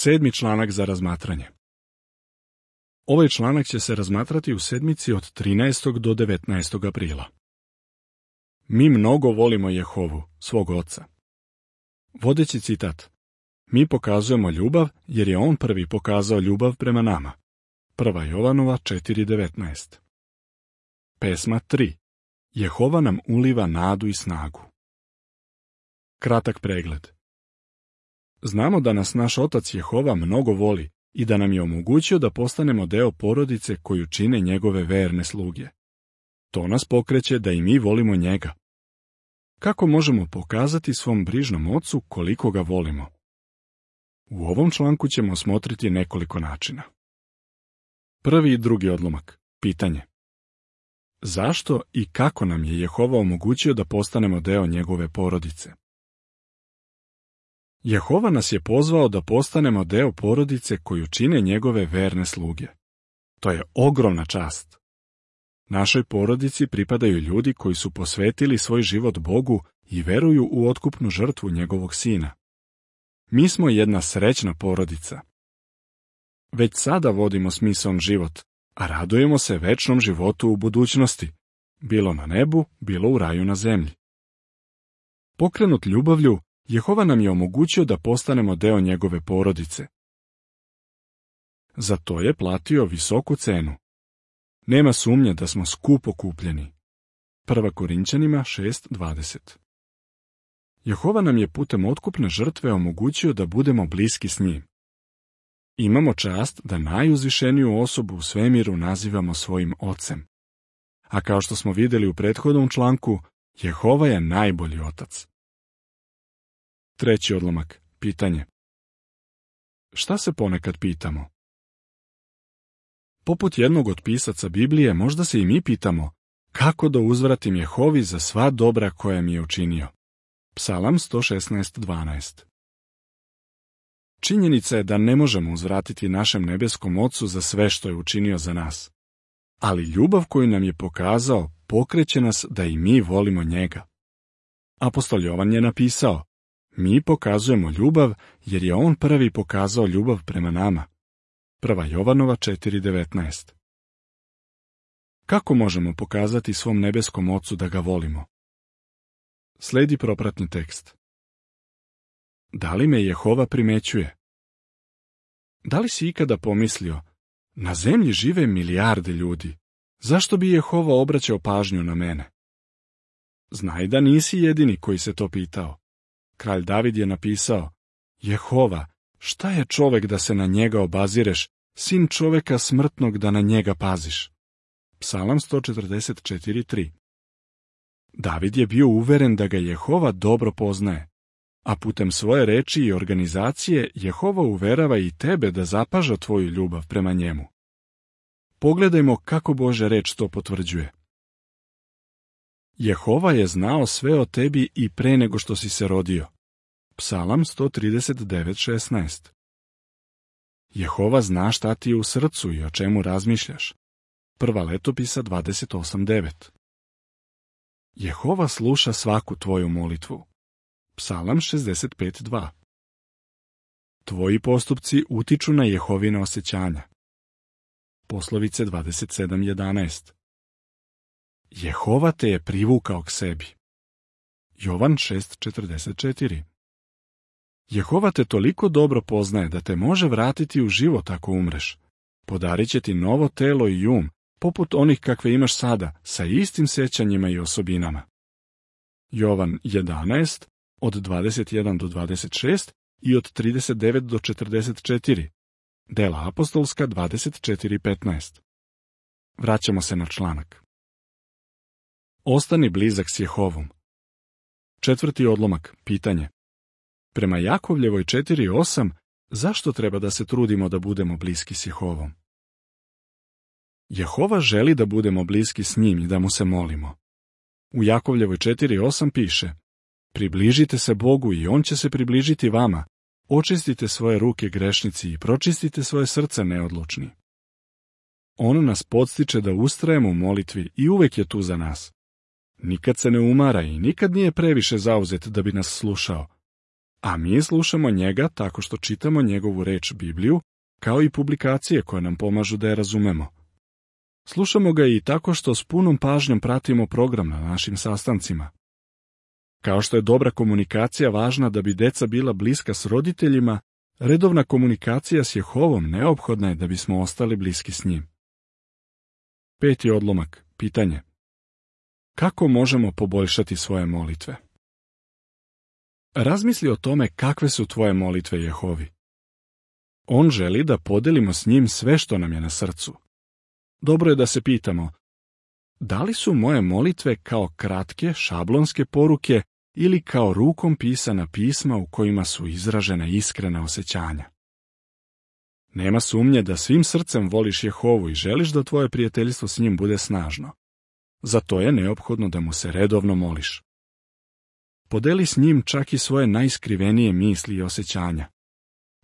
7. članak za razmatranje. Ovaj članak će se razmatrati u sedmici od 13. do 19. aprila. Mi mnogo volimo Jehovu, svog oca. Vodeći citat. Mi pokazujemo ljubav jer je on prvi pokazao ljubav prema nama. 1. Jovanova 4.19. Pesma 3. Jehova nam uliva nadu i snagu. Kratak pregled. Znamo da nas naš otac Jehova mnogo voli i da nam je omogućio da postanemo deo porodice koju čine njegove verne sluge. To nas pokreće da i mi volimo njega. Kako možemo pokazati svom brižnom ocu koliko ga volimo? U ovom članku ćemo osmotriti nekoliko načina. Prvi i drugi odlomak. Pitanje. Zašto i kako nam je Jehova omogućio da postanemo deo njegove porodice? Jehova nas je pozvao da postanemo deo porodice koju čine njegove verne sluge. To je ogromna čast. Našoj porodici pripadaju ljudi koji su posvetili svoj život Bogu i veruju u otkupnu žrtvu njegovog sina. Mi smo jedna srećna porodica. Već sada vodimo smisaon život, a radujemo se večnom životu u budućnosti, bilo na nebu, bilo u raju na zemlji. Pokrenut ljubavlju, Jehova nam je omogućio da postanemo deo njegove porodice. Za to je platio visoku cenu. Nema sumnje da smo skupo kupljeni. 1. Korinćanima 6.20. Jehova nam je putem otkupne žrtve omogućio da budemo bliski s njim. Imamo čast da najuzvišeniju osobu u svemiru nazivamo svojim ocem. A kao što smo vidjeli u prethodnom članku, Jehova je najbolji otac. Treći odlomak. Pitanje. Šta se ponekad pitamo? Poput jednog od pisaca Biblije, možda se i mi pitamo kako da uzvratim Jehovi za sva dobra koja mi je učinio. Psalam 116.12. Činjenica je da ne možemo uzvratiti našem nebeskom Ocu za sve što je učinio za nas. Ali ljubav koju nam je pokazao pokreće nas da i mi volimo njega. Apostol Jovan je napisao: mi pokazujemo ljubav jer je on prvi pokazao ljubav prema nama. 1. Jovanova 4.19. Kako možemo pokazati svom nebeskom Ocu da ga volimo? Sledi propratni tekst. Da li me Jehova primećuje? Da li si ikada pomislio, na zemlji žive milijarde ljudi, zašto bi Jehova obraćao pažnju na mene? Znaj da nisi jedini koji se to pitao. Kralj David je napisao: Jehova, šta je čovek da se na njega obazireš, sin čoveka smrtnog da na njega paziš? Psalam 144.3. David je bio uveren da ga Jehova dobro poznaje, a putem svoje reči i organizacije Jehova uverava i tebe da zapaža tvoju ljubav prema njemu. Pogledajmo kako Božja reč to potvrđuje. Jehova je znao sve o tebi i pre nego što si se rodio. Psalam 139.16. Jehova zna šta ti je u srcu i o čemu razmišljaš. 1. Letopisa 28.9. Jehova sluša svaku tvoju molitvu. Psalam 65.2. Tvoji postupci utiču na Jehovina osjećanja. Poslovice 27.11. Jehova te je privukao k sebi. Jovan 6.44. Jehova te toliko dobro poznaje da te može vratiti u život ako umreš. Podarit će ti novo telo i um, poput onih kakve imaš sada, sa istim sjećanjima i osobinama. Jovan 11, od 21 do 26 i od 39 do 44. Dela apostolska 24.15. Vraćamo se na članak. Ostani blizak s Jehovom. Četvrti odlomak. Pitanje. Prema Jakovljevoj 4.8, zašto treba da se trudimo da budemo bliski s Jehovom? Jehova želi da budemo bliski s njim i da mu se molimo. U Jakovljevoj 4.8 piše: približite se Bogu i on će se približiti vama. Očistite svoje ruke grešnici i pročistite svoje srce neodlučni. On nas podstiče da ustrajemo u molitvi i uvek je tu za nas. Nikad se ne umara i nikad nije previše zauzet da bi nas slušao. a mi slušamo njega tako što čitamo njegovu reč Bibliju, kao i publikacije koje nam pomažu da je razumemo. Slušamo ga i tako što s punom pažnjom pratimo program na našim sastancima. Kao što je dobra komunikacija važna da bi deca bila bliska s roditeljima, redovna komunikacija s Jehovom neophodna je da bismo ostali bliski s njim. 5. odlomak, pitanje. Kako možemo poboljšati svoje molitve? Razmisli o tome kakve su tvoje molitve Jehovi. On želi da podelimo s njim sve što nam je na srcu. Dobro je da se pitamo, da li su moje molitve kao kratke, šablonske poruke ili kao rukom pisana pisma u kojima su izražena iskrena osjećanja? Nema sumnje da svim srcem voliš Jehovu i želiš da tvoje prijateljstvo s njim bude snažno. Zato je neophodno da mu se redovno moliš. Podeli s njim čak i svoje najskrivenije misli i osjećanja.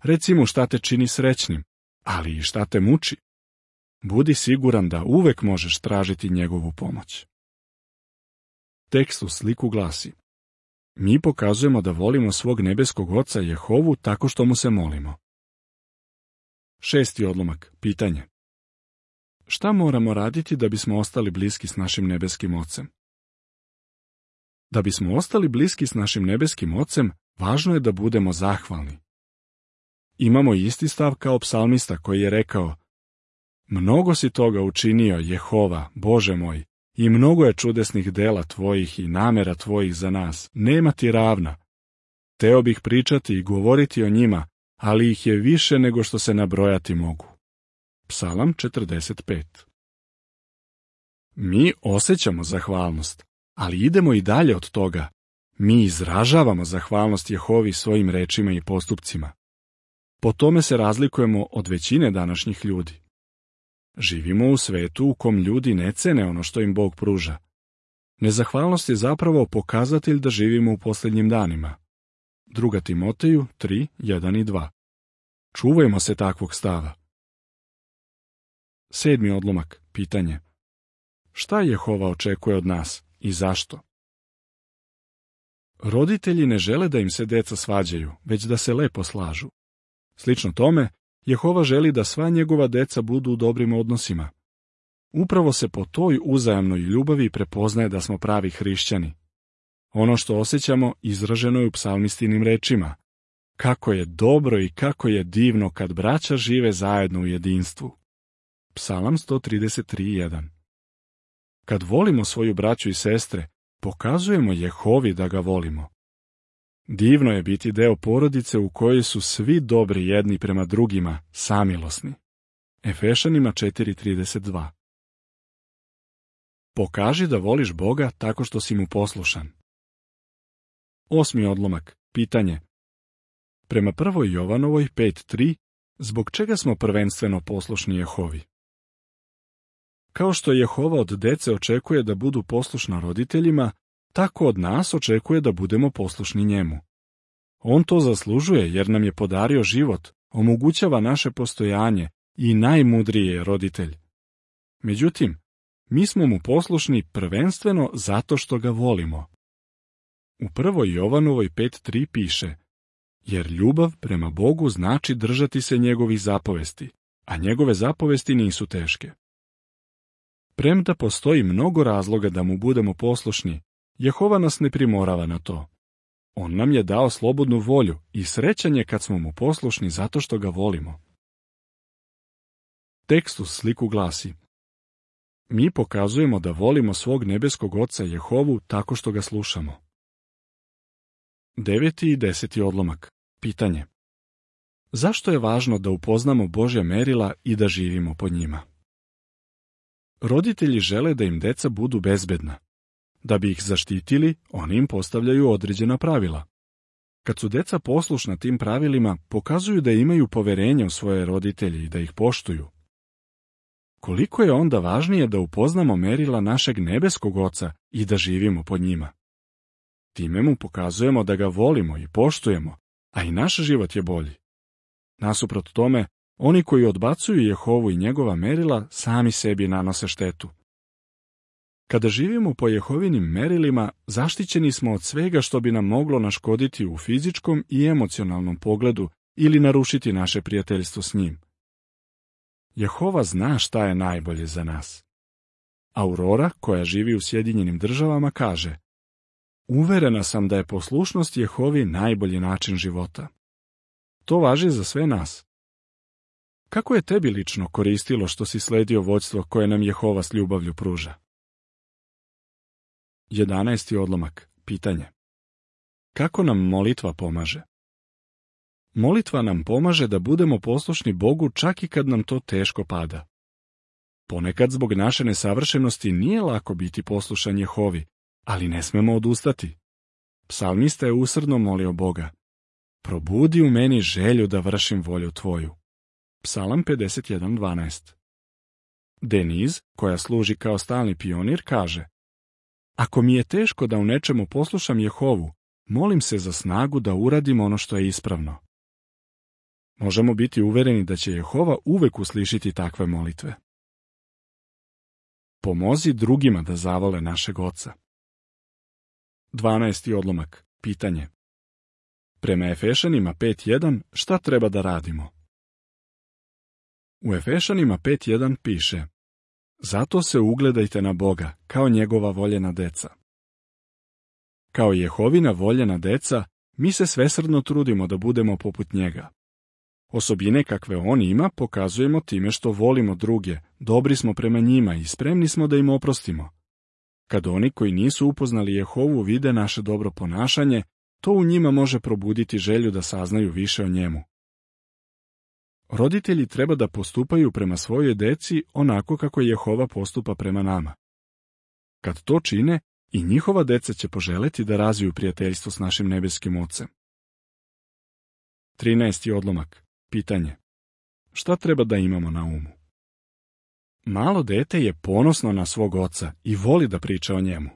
Reci mu šta te čini srećnim, ali i šta te muči. Budi siguran da uvek možeš tražiti njegovu pomoć. Tekst u sliku glasi: mi pokazujemo da volimo svog nebeskog Oca Jehovu tako što mu se molimo. 6. odlomak, pitanje. Šta moramo raditi da bismo ostali bliski s našim nebeskim Ocem? Da bismo ostali bliski s našim nebeskim Ocem, važno je da budemo zahvalni. Imamo isti stav kao psalmista koji je rekao: mnogo si toga učinio, Jehova, Bože moj, i mnogo je čudesnih dela tvojih i namera tvojih za nas, nema ti ravna. Teo bih pričati i govoriti o njima, ali ih je više nego što se nabrojati mogu. Psalam 45. Mi osjećamo zahvalnost, ali idemo i dalje od toga. Mi izražavamo zahvalnost Jehovi svojim rečima i postupcima. Po tome se razlikujemo od većine današnjih ljudi. Živimo u svetu u kom ljudi ne cene ono što im Bog pruža. Nezahvalnost je zapravo pokazatelj da živimo u posljednjim danima. 2. Timoteju 3, 1 i 2. Čuvajmo se takvog stava. 7. odlomak, pitanje. Šta Jehova očekuje od nas i zašto? Roditelji ne žele da im se deca svađaju, već da se lepo slažu. Slično tome, Jehova želi da sva njegova deca budu u dobrim odnosima. Upravo se po toj uzajamnoj ljubavi prepoznaje da smo pravi hrišćani. Ono što osjećamo izraženo je u psalmistinim rečima. Kako je dobro i kako je divno kad braća žive zajedno u jedinstvu. Psalam 133:1. Kad volimo svoju braću i sestre, pokazujemo Jehovi da ga volimo. Divno je biti deo porodice u kojoj su svi dobri jedni prema drugima, samilosni. Efešanima 4:32. Pokaži da voliš Boga tako što si mu poslušan. 8. odlomak, pitanje. Prema 1. Jovanovoj 5:3, zbog čega smo prvenstveno poslušni Jehovi? Kao što Jehova od dece očekuje da budu poslušna roditeljima, tako od nas očekuje da budemo poslušni njemu. On to zaslužuje jer nam je podario život, omogućava naše postojanje i najmudriji je roditelj. Međutim, mi smo mu poslušni prvenstveno zato što ga volimo. U 1. Jovanovoj 5:3 piše: jer ljubav prema Bogu znači držati se njegovih zapovesti, a njegove zapovesti nisu teške. Premda postoji mnogo razloga da mu budemo poslušni, Jehova nas ne primorava na to. On nam je dao slobodnu volju i srećan je kad smo mu poslušni zato što ga volimo. Tekst u sliku glasi: mi pokazujemo da volimo svog nebeskog Oca Jehovu tako što ga slušamo. 9. i 10. odlomak, pitanje. Zašto je važno da upoznamo Božja merila i da živimo po njima? Roditelji žele da im deca budu bezbedna. Da bi ih zaštitili, oni im postavljaju određena pravila. Kad su deca poslušna tim pravilima, pokazuju da imaju poverenje u svoje roditelje i da ih poštuju. Koliko je onda važnije da upoznamo merila našeg nebeskog Oca i da živimo po njima? Time mu pokazujemo da ga volimo i poštujemo, a i naš život je bolji. Nasuprot tome, oni koji odbacuju Jehovu i njegova merila sami sebi nanose štetu. Kada živimo po Jehovinim merilima, zaštićeni smo od svega što bi nam moglo naškoditi u fizičkom i emocionalnom pogledu ili narušiti naše prijateljstvo s njim. Jehova zna šta je najbolje za nas. Aurora, koja živi u Sjedinjenim Državama, kaže: uverena sam da je poslušnost Jehovi najbolji način života. To važi za sve nas. Kako je tebi lično koristilo što si sledio vođstvo koje nam Jehova s ljubavlju pruža? 11. odlomak. Pitanje. Kako nam molitva pomaže? Molitva nam pomaže da budemo poslušni Bogu čak i kad nam to teško pada. Ponekad zbog naše nesavršenosti nije lako biti poslušan Jehovi, ali ne smemo odustati. Psalmista je usrdno molio Boga: probudi u meni želju da vršim volju tvoju. Psalam 51.12. Deniz, koja služi kao stalni pionir, kaže: ako mi je teško da u nečemu poslušam Jehovu, molim se za snagu da uradim ono što je ispravno. Možemo biti uvereni da će Jehova uvek uslišiti takve molitve. Pomozi drugima da zavole našeg Oca. 12. odlomak. Pitanje. Prema Efešanima 5.1 šta treba da radimo? U Efešanima 5.1 piše: zato se ugledajte na Boga, kao njegova voljena deca. Kao Jehovina voljena deca, mi se svesrdno trudimo da budemo poput njega. Osobine kakve on ima pokazujemo time što volimo druge, dobri smo prema njima i spremni smo da im oprostimo. Kad oni koji nisu upoznali Jehovu vide naše dobro ponašanje, to u njima može probuditi želju da saznaju više o njemu. Roditelji treba da postupaju prema svojoj deci onako kako Jehova postupa prema nama. Kad to čine, i njihova deca će poželeti da razviju prijateljstvo s našim nebeskim Ocem. 13. odlomak. Pitanje. Šta treba da imamo na umu? Malo dete je ponosno na svog oca i voli da priča o njemu.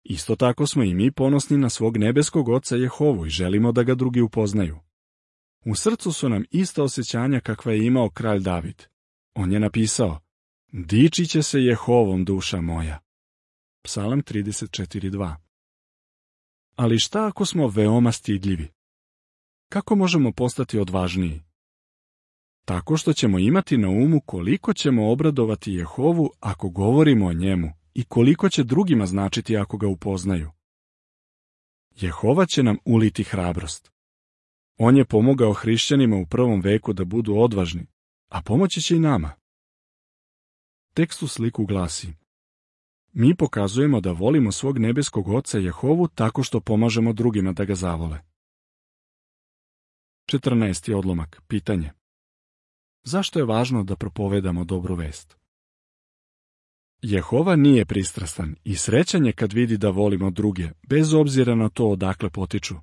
Isto tako smo i mi ponosni na svog nebeskog Oca Jehovu i želimo da ga drugi upoznaju. U srcu su nam ista osjećanja kakva je imao kralj David. On je napisao: dičit će se Jehovom duša moja. Psalam 34.2. Ali šta ako smo veoma stidljivi? Kako možemo postati odvažniji? Tako što ćemo imati na umu koliko ćemo obradovati Jehovu ako govorimo o njemu i koliko će drugima značiti ako ga upoznaju. Jehova će nam uliti hrabrost. On je pomogao hrišćanima u prvom veku da budu odvažni, a pomoći će i nama. Tekst u sliku glasi: mi pokazujemo da volimo svog nebeskog Oca Jehovu tako što pomažemo drugima da ga zavole. 14. odlomak. Pitanje. Zašto je važno da propovedamo dobru vest? Jehova nije pristrastan i srećan je kad vidi da volimo druge, bez obzira na to odakle potiču.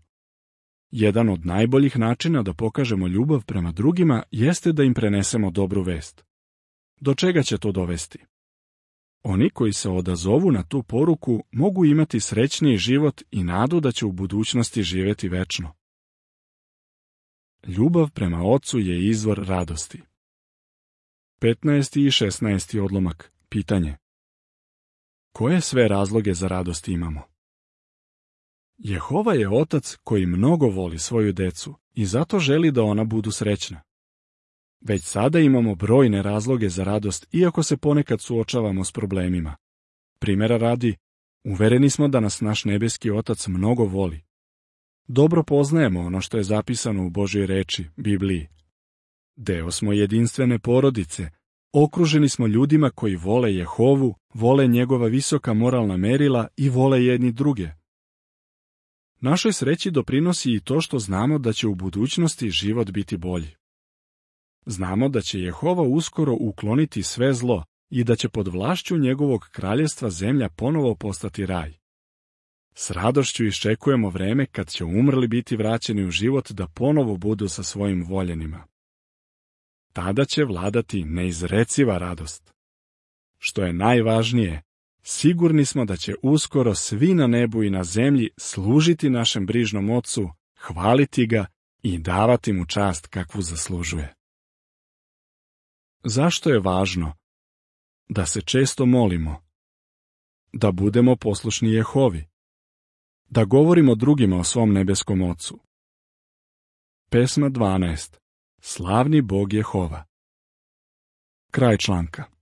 Jedan od najboljih načina da pokažemo ljubav prema drugima jeste da im prenesemo dobru vest. Do čega će to dovesti? Oni koji se odazovu na tu poruku mogu imati srećniji život i nadu da će u budućnosti živjeti večno. Ljubav prema Ocu je izvor radosti. 15. i 16. odlomak. Pitanje. Koje sve razloge za radost imamo? Jehova je Otac koji mnogo voli svoju decu i zato želi da ona budu srećna. Već sada imamo brojne razloge za radost, iako se ponekad suočavamo s problemima. Primjera radi, uvereni smo da nas naš nebeski Otac mnogo voli. Dobro poznajemo ono što je zapisano u Božjoj reči, Bibliji. Deo smo jedinstvene porodice, okruženi smo ljudima koji vole Jehovu, vole njegova visoka moralna merila i vole jedni druge. Našoj sreći doprinosi i to što znamo da će u budućnosti život biti bolji. Znamo da će Jehova uskoro ukloniti sve zlo i da će pod vlašću njegovog kraljevstva zemlja ponovo postati raj. S radošću iščekujemo vreme kad će umrli biti vraćeni u život da ponovo budu sa svojim voljenima. Tada će vladati neizreciva radost. Što je najvažnije, sigurni smo da će uskoro svi na nebu i na zemlji služiti našem brižnom Ocu, hvaliti ga i davati mu čast kakvu zaslužuje. Zašto je važno da se često molimo? Da budemo poslušni Jehovi. Da govorimo drugima o svom nebeskom Ocu. Pesma 12. Slavni Bog Jehova. Kraj članka.